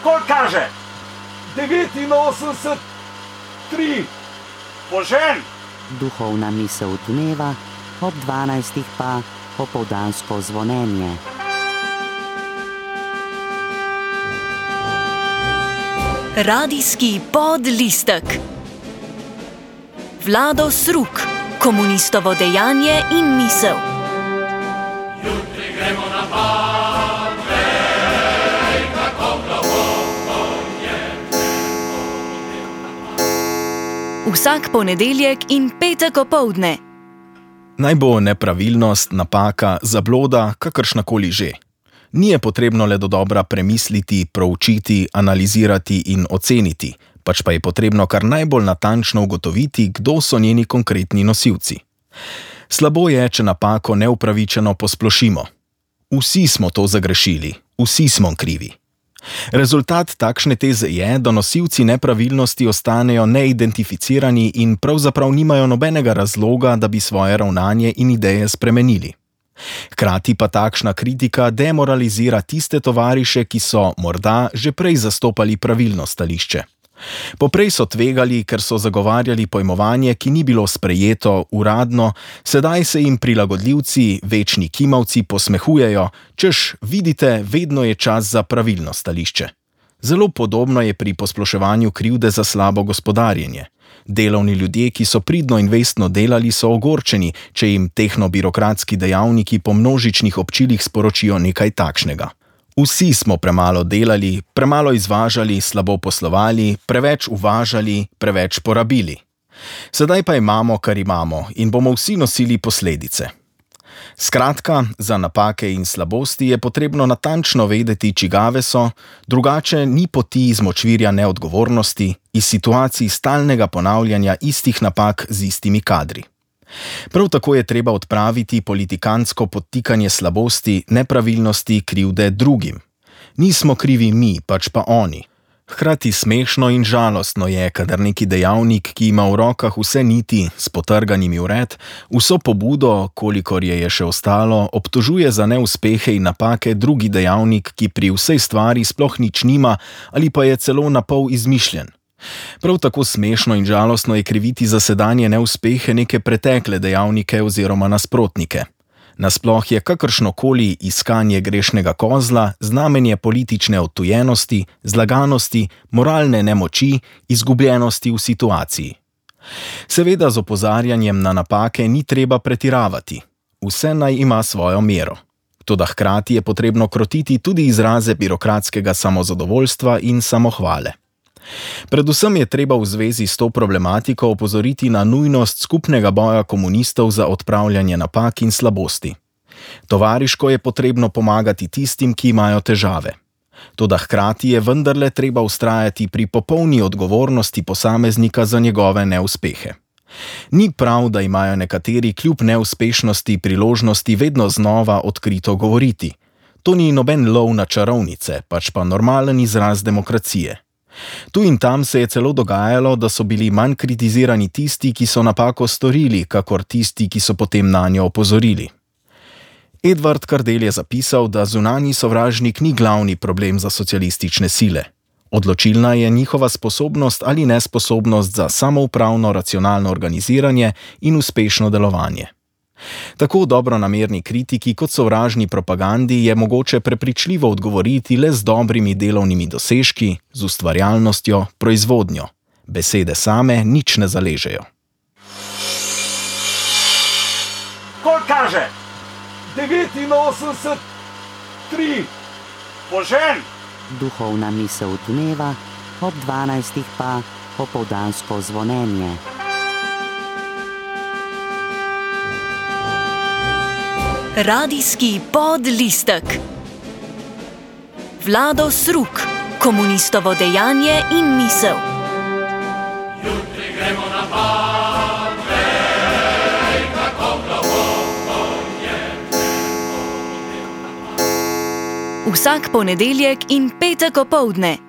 Koliko kaže? 89, 3. Požen! Duhovna misel dneva, ob 12. pa popoldansko zvonjenje. Radijski podlistek. Vlado Sruk, komunistovo dejanje in misel. Jutri gremo na bal, vej, kako globoko je temno. Vsak ponedeljek in petek opoldne. Naj bo nepravilnost, napaka, zabloda, kakršnakoli že. Ni je potrebno le dodobra premisliti, proučiti, analizirati in oceniti, pač pa je potrebno kar najbolj natančno ugotoviti, kdo so njeni konkretni nosilci. Slabo je, če napako neupravičeno posplošimo. Vsi smo to zagrešili, vsi smo krivi. Rezultat takšne teze je, da nosilci nepravilnosti ostanejo neidentificirani in pravzaprav nimajo nobenega razloga, da bi svoje ravnanje in ideje spremenili. Hkrati pa takšna kritika demoralizira tiste tovariše, ki so morda že prej zastopali pravilno stališče. Poprej so tvegali, ker so zagovarjali pojmovanje, ki ni bilo sprejeto uradno, sedaj se jim prilagodljivci, večni kimavci posmehujejo, češ, vidite, vedno je čas za pravilno stališče. Zelo podobno je pri posploševanju krivde za slabo gospodarjenje. Delovni ljudje, ki so pridno in vestno delali, so ogorčeni, če jim tehnobirokratski dejavniki po množičnih občilih sporočijo nekaj takšnega. Vsi smo premalo delali, premalo izvažali, slabo poslovali, preveč uvažali, preveč porabili. Sedaj pa imamo, kar imamo in bomo vsi nosili posledice. Skratka, za napake in slabosti je potrebno natančno vedeti, čigave so, drugače ni poti iz močvirja neodgovornosti, iz situacij stalnega ponavljanja istih napak z istimi kadri. Prav tako je treba odpraviti politikantsko podtikanje slabosti, nepravilnosti, krivde drugim. Nismo krivi mi, pač pa oni. Hkrati smešno in žalostno je, kadar neki dejavnik, ki ima v rokah vse niti s potrganimi vred, vso pobudo, kolikor je še ostalo, obtožuje za neuspehe in napake drugi dejavnik, ki pri vsej stvari sploh nič nima ali pa je celo napol izmišljen. Prav tako smešno in žalostno je kriviti za sedanje neuspehe neke pretekle dejavnike oziroma nasprotnike. Nasploh je kakršnokoli iskanje grešnega kozla znamenje politične odtujenosti, zlaganosti, moralne nemoči, izgubljenosti v situaciji. Seveda z opozarjanjem na napake ni treba pretiravati. Vse naj ima svojo mero. Toda hkrati je potrebno krotiti tudi izraze birokratskega samozadovoljstva in samohvale. Predvsem je treba v zvezi s to problematiko opozoriti na nujnost skupnega boja komunistov za odpravljanje napak in slabosti. Tovariško je potrebno pomagati tistim, ki imajo težave. Toda hkrati je vendarle treba vztrajati pri popolni odgovornosti posameznika za njegove neuspehe. Ni prav, da imajo nekateri kljub neuspešnosti priložnosti vedno znova odkrito govoriti. To ni noben lov na čarovnice, pač pa normalen izraz demokracije. Tu in tam se je celo dogajalo, da so bili manj kritizirani tisti, ki so napako storili, kakor tisti, ki so potem nanjo opozorili. Edvard Kardel je zapisal, da zunanji sovražnik ni glavni problem za socialistične sile. Odločilna je njihova sposobnost ali nesposobnost za samoupravno racionalno organiziranje in uspešno delovanje. Tako dobronamerni kritiki kot sovražni propagandi je mogoče prepričljivo odgovoriti le z dobrimi delovnimi dosežki, z ustvarjalnostjo, proizvodnjo. Besede same nič ne zaležejo. Koliko kaže? 89, 3. Požen! Duhovna misel dneva, ob 12. pa popoldansko zvonjenje. Radijski podlistek. Vlado Sruk, komunistovo dejanje in misel. Jutri gremo na bal, vej, kako globoko je temno. Vsak ponedeljek in petek opoldne.